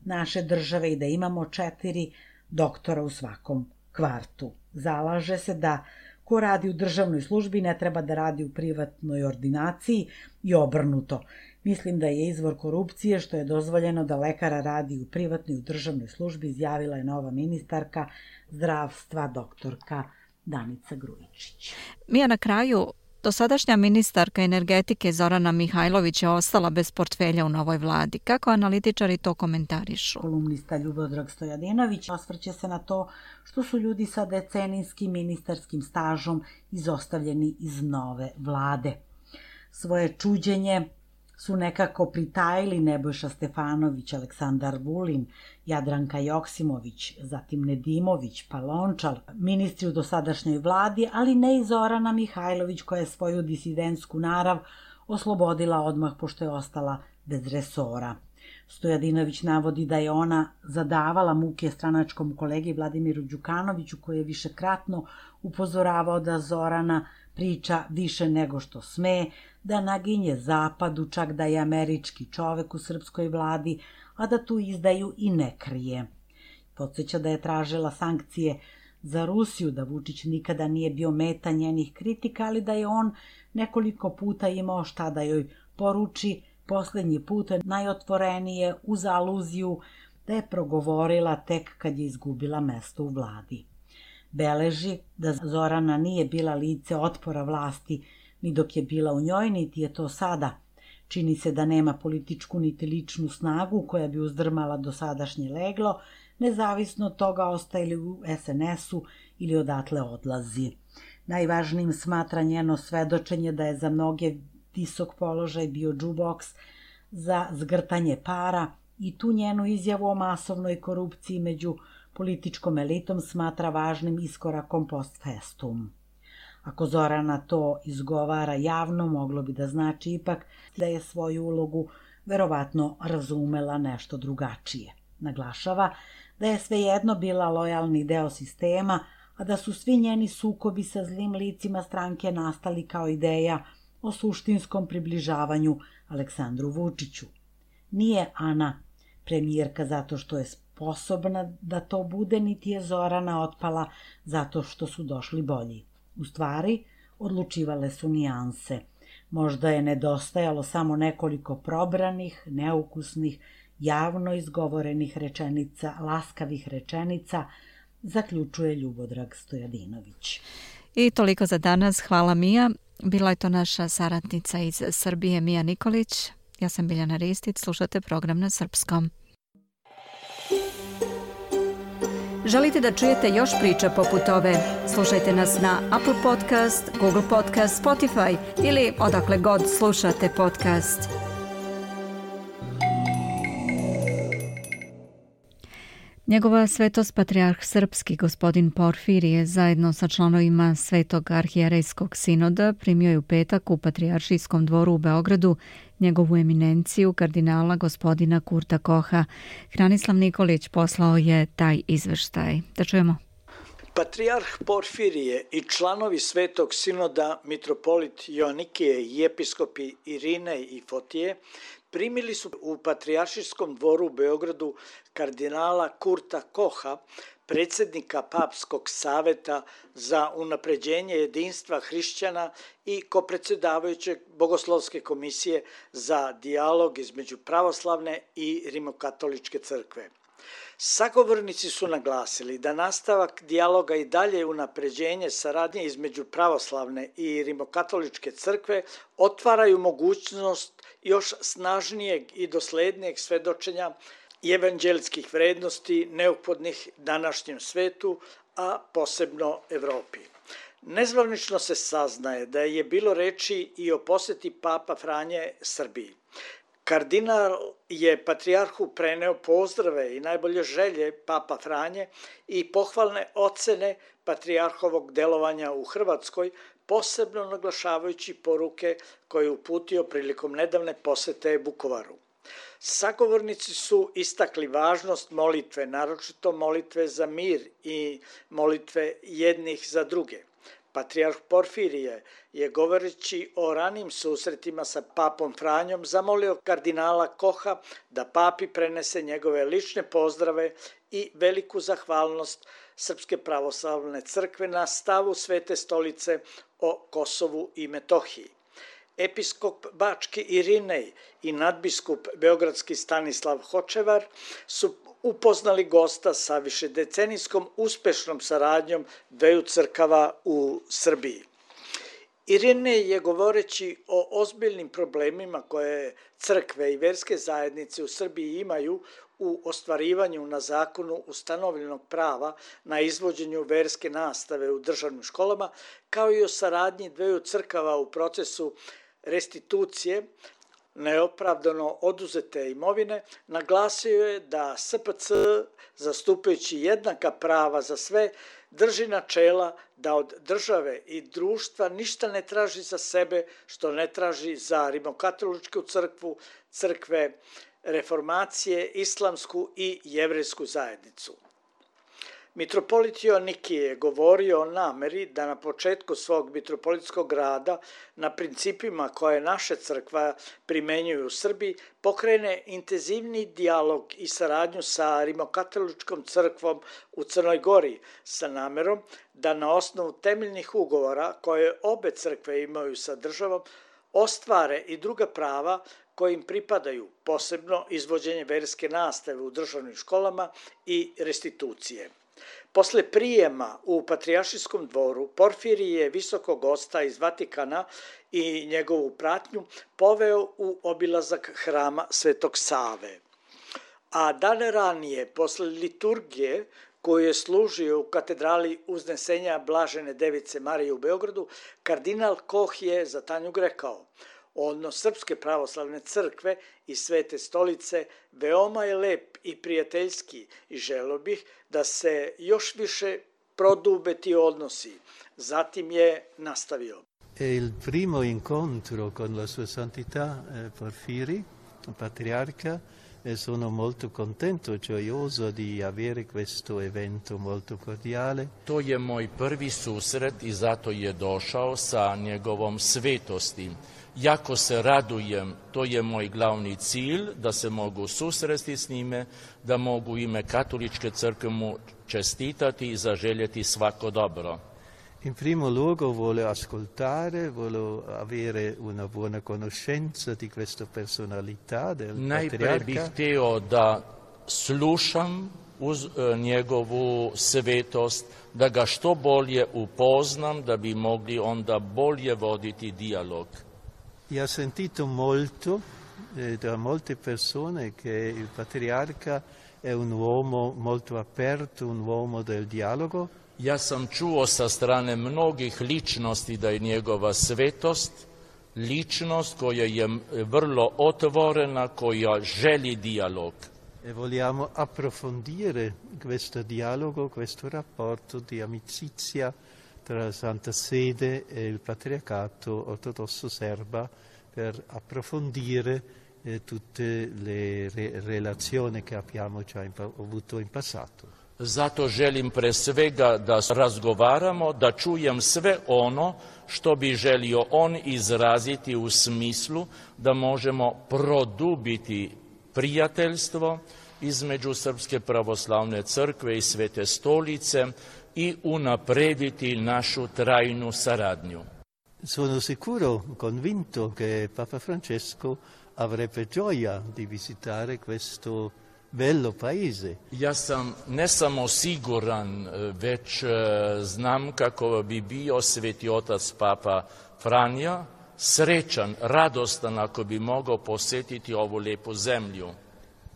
naše države i da imamo četiri doktora u svakom kvartu. Zalaže se da ko radi u državnoj službi ne treba da radi u privatnoj ordinaciji i obrnuto. Mislim da je izvor korupcije što je dozvoljeno da lekara radi u privatnoj i u državnoj službi, izjavila je nova ministarka zdravstva doktorka Danica Grujičić. Mija, na kraju, dosadašnja ministarka energetike Zorana Mihajlović je ostala bez portfelja u novoj vladi. Kako analitičari to komentarišu? Kolumnista Ljubodrag Stojadinović osvrće se na to što su ljudi sa decenijskim ministarskim stažom izostavljeni iz nove vlade. Svoje čuđenje su nekako pritajili Nebojša Stefanović, Aleksandar Vulin, Jadranka Joksimović, zatim Nedimović, pa Lončar, ministri u dosadašnjoj vladi, ali ne i Zorana Mihajlović koja je svoju disidentsku narav oslobodila odmah pošto je ostala bez resora. Stojadinović navodi da je ona zadavala muke stranačkom kolegi Vladimiru Đukanoviću koji je višekratno upozoravao da Zorana priča više nego što sme, da naginje zapadu, čak da je američki čovek u srpskoj vladi, a da tu izdaju i ne krije. Podsjeća da je tražila sankcije za Rusiju, da Vučić nikada nije bio meta njenih kritika, ali da je on nekoliko puta imao šta da joj poruči, poslednji put najotvorenije uz aluziju da je progovorila tek kad je izgubila mesto u vladi. Beleži da Zorana nije bila lice otpora vlasti ni dok je bila u njoj, niti je to sada. Čini se da nema političku niti ličnu snagu koja bi uzdrmala dosadašnje leglo, nezavisno od toga ostaje li u es en esu ili odatle odlazi. Najvažnijim smatra njeno svedočenje da je za mnoge visok položaj bio džuboks za zgrtanje para i tu njenu izjavu o masovnoj korupciji među političkom elitom smatra važnim iskorakom post festum. Ako Zorana to izgovara javno, moglo bi da znači ipak da je svoju ulogu verovatno razumela nešto drugačije. Naglašava da je svejedno bila lojalni deo sistema, a da su svi njeni sukobi sa zlim licima stranke nastali kao ideja o suštinskom približavanju Aleksandru Vučiću. Nije Ana premijerka zato što je sposobna da to bude, niti je Zorana otpala zato što su došli bolji. U stvari, odlučivale su nijanse. Možda je nedostajalo samo nekoliko probranih, neukusnih, javno izgovorenih rečenica, laskavih rečenica, zaključuje Ljubodrag Stojadinović. I toliko za danas. Hvala Mija. Bila je to naša saradnica iz Srbije Mija Nikolić. Ja sam Biljana Ristić. Slušate program na srpskom. Želite da čujete još priča poput ove? Slušajte nas na Apple Podcast, Google Podcast, Spotify ili odakle god slušate podcast. Njegova svetost patrijarh srpski gospodin Porfirije zajedno sa članovima Svetog arhijerejskog sinoda primio je u petak u Patrijaršijskom dvoru u Beogradu njegovu eminenciju kardinala gospodina Kurta Koha. Hranislav Nikolić poslao je taj izveštaj. Da čujemo. Patrijarh Porfirije i članovi Svetog sinoda mitropolit Joanikije i episkopi Irinej i Fotije primili su u Patrijaršijskom dvoru u Beogradu kardinala Kurta Koha, predsjednika Papskog saveta za unapređenje jedinstva hrišćana i kopredsjedavajućeg Bogoslovske komisije za dijalog između pravoslavne i rimokatoličke crkve. Sagovornici su naglasili da nastavak dijaloga i dalje unapređenje saradnje između pravoslavne i rimokatoličke crkve otvaraju mogućnost još snažnijeg i doslednijeg svedočenja i evanđelskih vrednosti neophodnih današnjem svetu, a posebno Evropi. Nezvanično se saznaje da je bilo reči i o poseti Papa Franje Srbiji. Kardinal je patrijarhu preneo pozdrave i najbolje želje Papa Franje i pohvalne ocene patrijarhovog delovanja u Hrvatskoj, posebno naglašavajući poruke koje je uputio prilikom nedavne posete Vukovaru. Sagovornici su istakli važnost molitve, naročito molitve za mir i molitve jednih za druge. Patrijarh Porfirije je, govoreći o ranim susretima sa papom Franjom, zamolio kardinala Koha da papi prenese njegove lične pozdrave i veliku zahvalnost Srpske pravoslavne crkve na stavu Svete stolice o Kosovu i Metohiji. Episkop Bački Irinej i nadbiskup Beogradski Stanislav Hočevar su upoznali gosta sa višedecenijskom uspešnom saradnjom dveju crkava u Srbiji. Irinej je, govoreći o ozbiljnim problemima koje crkve i verske zajednice u Srbiji imaju u ostvarivanju na zakonu ustanovljenog prava na izvođenju verske nastave u državnim školama, kao i o saradnji dveju crkava u procesu restitucije, neopravdano oduzete imovine, naglasio je da S P C, zastupajući jednaka prava za sve, drži načela da od države i društva ništa ne traži za sebe što ne traži za Rimokatoličku crkvu, crkve reformacije, islamsku i jevrejsku zajednicu. Mitropolit Joanikije je govorio o nameri da na početku svog mitropolitskog rada, na principima koje naše crkva primenjuju u Srbiji, pokrene intenzivni dijalog i saradnju sa Rimokatoličkom crkvom u Crnoj Gori sa namerom da na osnovu temeljnih ugovora koje obe crkve imaju sa državom ostvare i druga prava koje im pripadaju, posebno izvođenje verske nastave u državnim školama i restitucije. Posle prijema u Patrijaršijskom dvoru, Porfirije je visokog gosta iz Vatikana i njegovu pratnju poveo u obilazak hrama Svetog Save. A dane ranije, posle liturgije koju je služio u katedrali Uznesenja Blažene Device Marije u Beogradu, kardinal Koh je za Tanjug rekao: odnos Srpske pravoslavne crkve i Svete stolice veoma je lep i prijateljski i želeo bih da se još više prodube ti odnosi. Zatim je nastavio. È il primo incontro con la sua santità eh, Porfiri, patriarca, e sono molto contento e gioioso di avere questo evento molto cordiale. To je moj prvi susret i zato je došao sa njegovom svetosti. Jako se radujem, to je moj glavni cilj, da se mogu susresti s njime, da mogu ime Katoličke crkve mu čestitati i zaželjeti svako dobro. In primo luogo vuole ascoltare, vuole avere una buona conoscenza di questa personalità del Najpre patriarca. bih hteo da slušam uz e, njegovu svetost, da ga što bolje upoznam, da bi mogli onda bolje voditi dijalog. E ha sentito molto eh, da molte persone che il patriarca è un uomo molto aperto, un uomo del dialogo. Ja sam čuo sa strane mnogih ličnosti da je njegova svetost ličnost koja je vrlo otvorena, koja želi dijalog. E vogliamo approfondire questo dialogo, questo rapporto di amicizia tra la Santa Sede e il Patriarcato ortodosso serba per approfondire eh, tutte le re- relazioni che abbiamo già in, avuto in passato. Zato želim pre svega da razgovaramo, da čujem sve ono što bi želio on izraziti u smislu da možemo produbiti prijateljstvo između Srpske pravoslavne crkve i Svete stolice i unaprediti našu trajnu saradnju. Sono sicuro, convinto che Papa Francesco avrebbe gioia di visitare questo bello paese. Ja sam ne samo siguran, već znam kako bi bio Sveti otac Papa Franja srećan, radostan ako bi mogao posjetiti ovu lepu zemlju.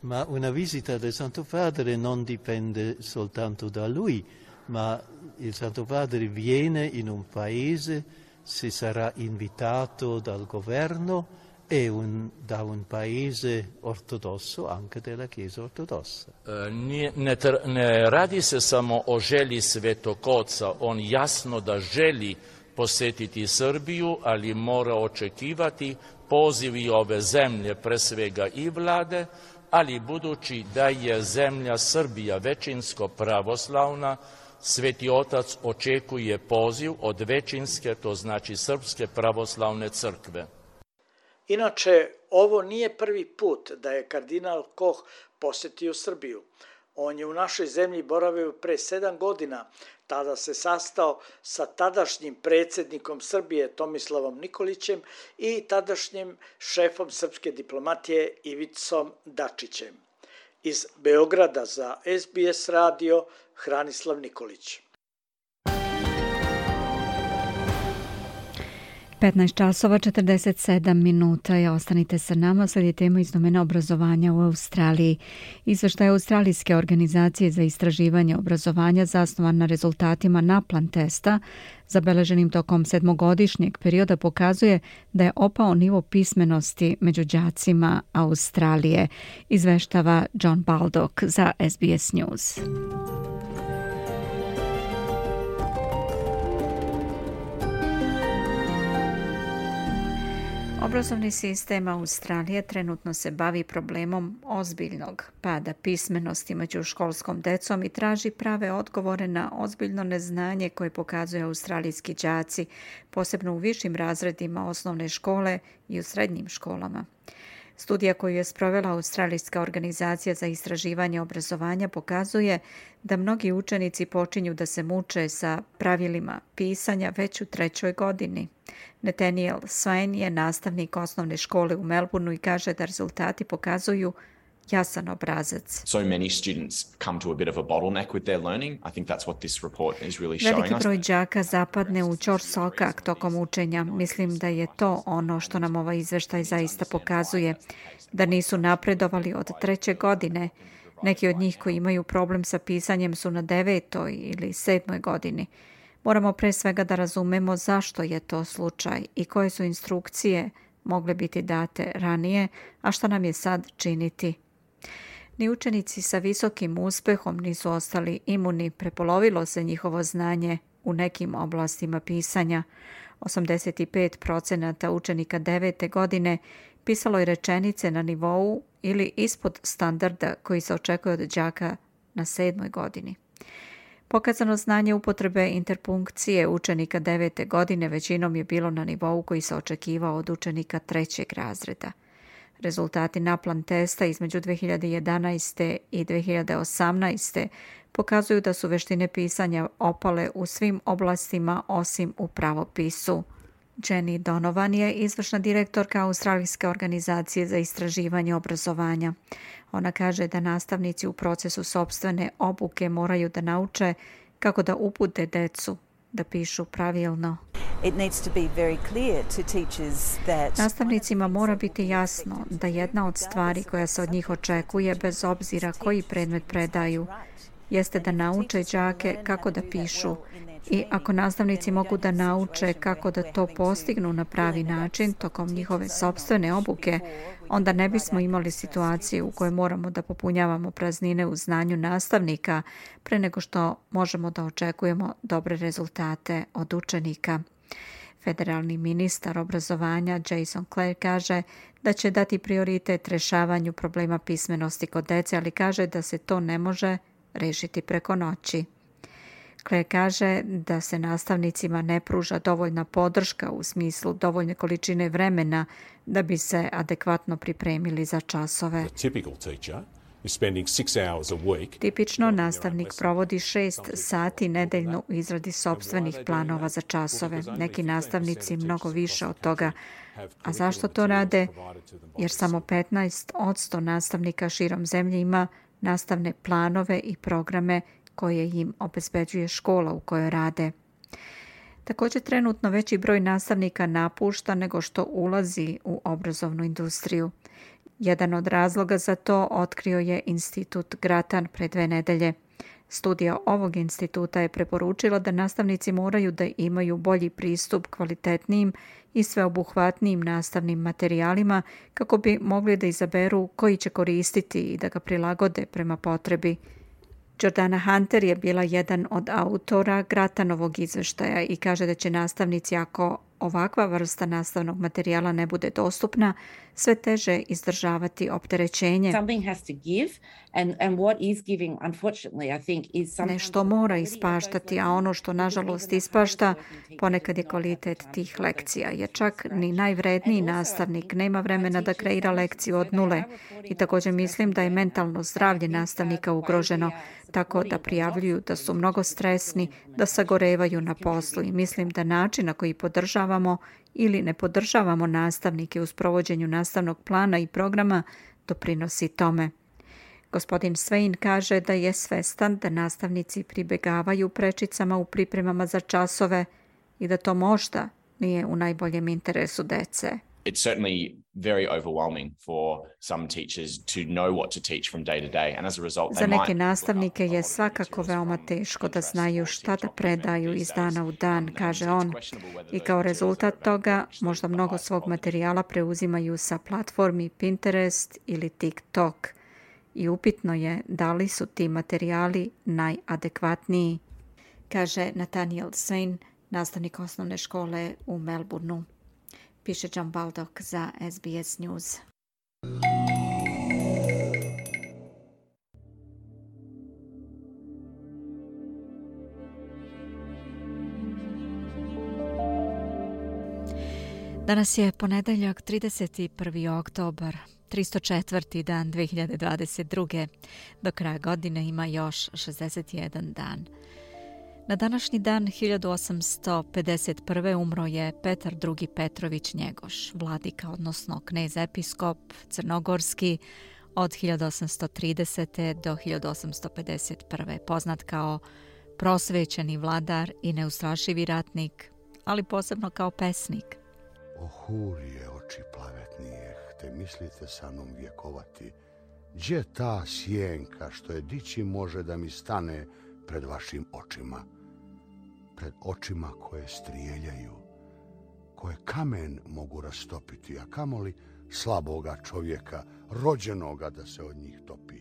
Ma una visita del Santo Padre non dipende soltanto da lui, ma il Santo Padre viene in un paese se sarà invitato dal governo e un, da un paese ortodosso, anche della Chiesa ortodossa. Ne, ne, ne radi se samo o želji Svetog Oca, on jasno da želi posjetiti Srbiju, ali mora očekivati pozivi ove zemlje, pre svega i vlade, ali budući da je zemlja Srbija većinsko pravoslavna, Sveti Otac očekuje poziv od većinske, to znači Srpske pravoslavne crkve. Inače, ovo nije prvi put da je kardinal Koh posjetio Srbiju. On je u našoj zemlji boravio pre sedam godina, tada se sastao sa tadašnjim predsjednikom Srbije Tomislavom Nikolićem i tadašnjim šefom srpske diplomatije Ivicom Dačićem. Iz Beograda za S B S radio Hranislav Nikolić. petnaest časova četrdeset sedam minuta. Ja, ostanite sa nama, slijedi tema iz domena obrazovanja u Australiji. Izveštaj Australijske organizacije za istraživanje obrazovanja zasnovan na rezultatima NAPLAN testa zabeleženim tokom sedmogodišnjeg perioda pokazuje da je opao nivo pismenosti među đacima Australije, izveštava John Baldock za S B S News. Obrazovni sistem Australije trenutno se bavi problemom ozbiljnog pada pismenosti među školskom decom i traži prave odgovore na ozbiljno neznanje koje pokazuju australijski đaci, posebno u višim razredima osnovne škole i u srednjim školama. Studija koju je sprovela Australijska organizacija za istraživanje obrazovanja pokazuje da mnogi učenici počinju da se muče sa pravilima pisanja već u trećoj godini. Nathaniel Swain je nastavnik osnovne škole u Melbourneu i kaže da rezultati pokazuju jasan obrazac. So many students come to a bit of a bottleneck with their learning. I think that's what this report is really showing us. Veliki broj đaka zapadne u ćorsokak tokom učenja. Mislim da je to ono što nam ovaj izveštaj zaista pokazuje. Da nisu napredovali od treće godine. Neki od njih koji imaju problem sa pisanjem su na devetoj ili sedmoj godini. Moramo pre svega da razumemo zašto je to slučaj i koje su instrukcije mogle biti date ranije, a šta nam je sad činiti. Ni učenici sa visokim uspehom nisu ostali imuni, prepolovilo se njihovo znanje u nekim oblastima pisanja. osamdeset pet procenata učenika devete godine pisalo je rečenice na nivou ili ispod standarda koji se očekuje od đaka na sedmoj godini. Pokazano znanje upotrebe interpunkcije učenika devete godine većinom je bilo na nivou koji se očekivao od učenika trećeg razreda. Rezultati NAPLAN testa između dve hiljade jedanaeste i dve hiljade osamnaeste pokazuju da su veštine pisanja opale u svim oblastima osim u pravopisu. Jenny Donovan je izvršna direktorka Australijske organizacije za istraživanje obrazovanja. Ona kaže da nastavnici u procesu sopstvene obuke moraju da nauče kako da upute decu da pišu pravilno. It needs to be very clear to teachers that Nastavnicima mora biti jasno da jedna od stvari koja se od njih očekuje, bez obzira koji predmet predaju, jeste da nauče đake kako da pišu. I ako nastavnici mogu da nauče kako da to postignu na pravi način tokom njihove sopstvene obuke, onda ne bismo imali situaciju u kojoj moramo da popunjavamo praznine u znanju nastavnika pre nego što možemo da očekujemo dobre rezultate od učenika. Federalni ministar obrazovanja Jason Clare kaže da će dati prioritet rešavanju problema pismenosti kod dece, ali kaže da se to ne može rešiti preko noći. Clare kaže da se nastavnicima ne pruža dovoljna podrška u smislu dovoljne količine vremena da bi se adekvatno pripremili za časove. Tipično nastavnik provodi šest sati nedeljno u izradi sopstvenih planova za časove. Neki nastavnici mnogo više od toga. A zašto to rade? Jer samo petnaest posto nastavnika širom zemlje ima nastavne planove i programe koje im obezbeđuje škola u kojoj rade. Također trenutno veći broj nastavnika napušta nego što ulazi u obrazovnu industriju. Jedan od razloga za to otkrio je Institut Grattan pre dve nedelje. Studija ovog instituta je preporučila da nastavnici moraju da imaju bolji pristup kvalitetnijim i sveobuhvatnijim nastavnim materijalima kako bi mogli da izaberu koji će koristiti i da ga prilagode prema potrebi. Jordana Hunter je bila jedan od autora Grattanovog izveštaja i kaže da će nastavnici, ako ovakva vrsta nastavnog materijala ne bude dostupna, sve teže izdržavati opterećenje. Nešto mora ispaštati, a ono što nažalost ispašta ponekad je kvalitet tih lekcija, jer čak ni najvredniji nastavnik nema vremena da kreira lekciju od nule. I također mislim da je mentalno zdravlje nastavnika ugroženo, tako da prijavljuju da su mnogo stresni, da sagorevaju na poslu i mislim da način na koji podržavamo ili ne podržavamo nastavnike u sprovođenju nastavnog plana i programa doprinosi tome. Gospodin Swain kaže da je svestan da nastavnici pribegavaju prečicama u pripremama za časove i da to možda nije u najboljem interesu dece. It's certainly very overwhelming for some teachers to know what to teach from day to day, and as a result, Za neke nastavnike je svakako veoma teško da znaju šta da predaju iz dana u dan, kaže on. I kao rezultat toga, možda mnogo svog materijala preuzimaju sa platformi Pinterest ili TikTok. I upitno je da li su ti materijali najadekvatniji, kaže Nathaniel Sane, nastavnik osnovne škole u Melbourneu. Piše John Baldock za S B S News. Danas je ponedeljak, trideset prvi oktobar, tristo četvrti dan dve hiljade dvadeset druge. Do kraja godine ima još šezdeset jedan dan. Na današnji dan hiljadu osamsto pedeset prve umro je Petar drugi Petrović Njegoš, vladika, odnosno knez episkop crnogorski od hiljadu osamsto tridesete do hiljadu osamsto pedeset prve, poznat kao prosvećeni vladar i neustrašivi ratnik, ali posebno kao pesnik. O hurije oči plavetnije, te mislite sa mnom vjekovati, gdje ta sjenka što je dići može da mi stane pred vašim očima, pred očima koje strijeljaju, koje kamen mogu rastopiti, a kamoli slaboga čovjeka, rođenoga da se od njih topi.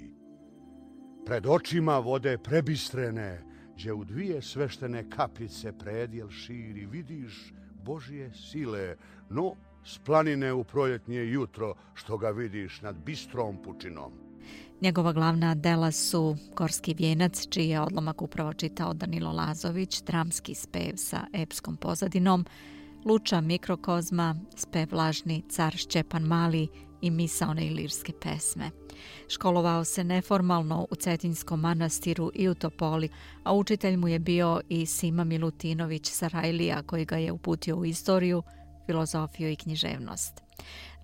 Pred očima vode prebistrene, gdje u dvije sveštene kapljice predjel širi, vidiš Božje sile, no s planine u proljetnje jutro što ga vidiš nad bistrom pučinom. Njegova glavna dela su Gorski vijenac, čiji je odlomak upravo čitao Danilo Lazović, dramski spev sa epskom pozadinom, Luča mikrokozma, spev lažni Car Šćepan Mali i misaone ilirske pesme. Školovao se neformalno u Cetinjskom manastiru i u Topoli, a učitelj mu je bio i Sima Milutinović Sarajlija, koji ga je uputio u istoriju, filozofiju i književnost.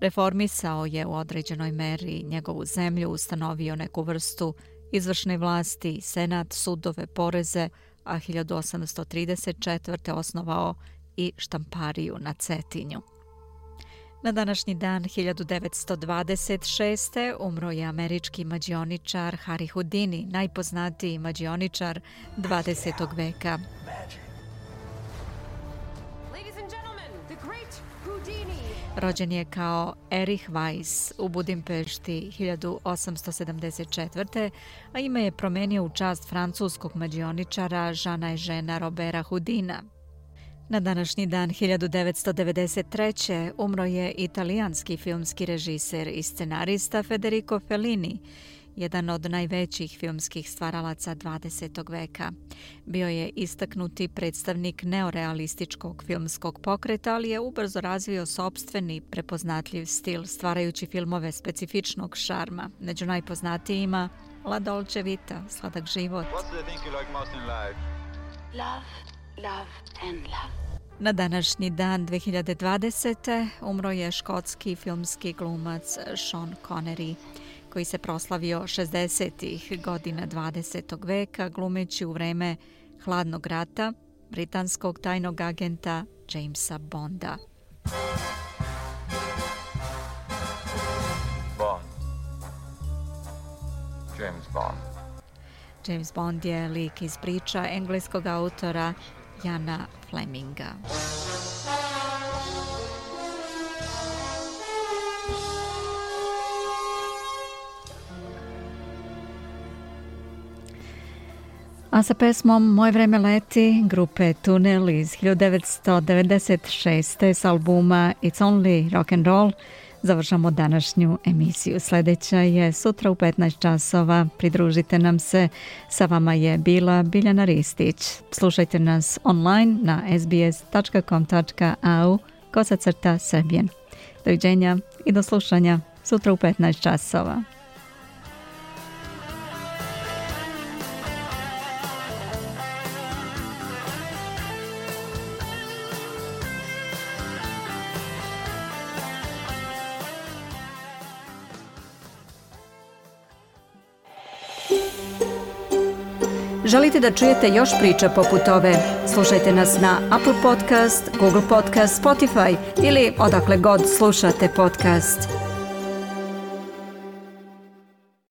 Reformisao je u određenoj meri njegovu zemlju, ustanovio neku vrstu izvršne vlasti, senat, sudove, poreze, a hiljadu osamsto trideset četvrte osnovao i štampariju na Cetinju. Na današnji dan hiljadu devetsto dvadeset šeste umro je američki mađioničar Harry Houdini, najpoznatiji mađioničar dvadesetog veka. Rođen je kao Erich Weiss u Budimpešti hiljadu osamsto sedamdeset četvrte. a ime je promenio u čast francuskog mađioničara Žana Eugena Robera Houdina. Na današnji dan hiljadu devetsto devedeset treće. umro je italijanski filmski režiser i scenarista Federico Fellini, jedan od najvećih filmskih stvaralaca dvadesetog veka. Bio je istaknuti predstavnik neorealističkog filmskog pokreta, ali je ubrzo razvio sopstveni prepoznatljiv stil, stvarajući filmove specifičnog šarma. Među najpoznatijima La Dolce Vita, Sladak život. Love, love and love. Na današnji dan dve hiljade dvadesete. umro je škotski filmski glumac Sean Connery, koji se proslavio šezdesetih godina dvadesetog veka glumeći u vreme Hladnog rata britanskog tajnog agenta Jamesa Bonda. Bond. James Bond. James Bond je lik iz priča engleskog autora Jana Fleminga. A sa pesmom Moje vreme leti grupe Tunel iz hiljadu devetsto devedeset šeste. s albuma It's Only Rock and Roll završamo današnju emisiju. Sljedeća je sutra u petnaest časova. Pridružite nam se. Sa vama je bila Biljana Ristić. Slušajte nas online na s b s tačka com tačka a u kosacrta srbijen. Doviđenja i do slušanja sutra u petnaest časova. Želite da čujete još priča poput ove? Slušajte nas na Apple Podcast, Google Podcast, Spotify ili odakle god slušate podcast.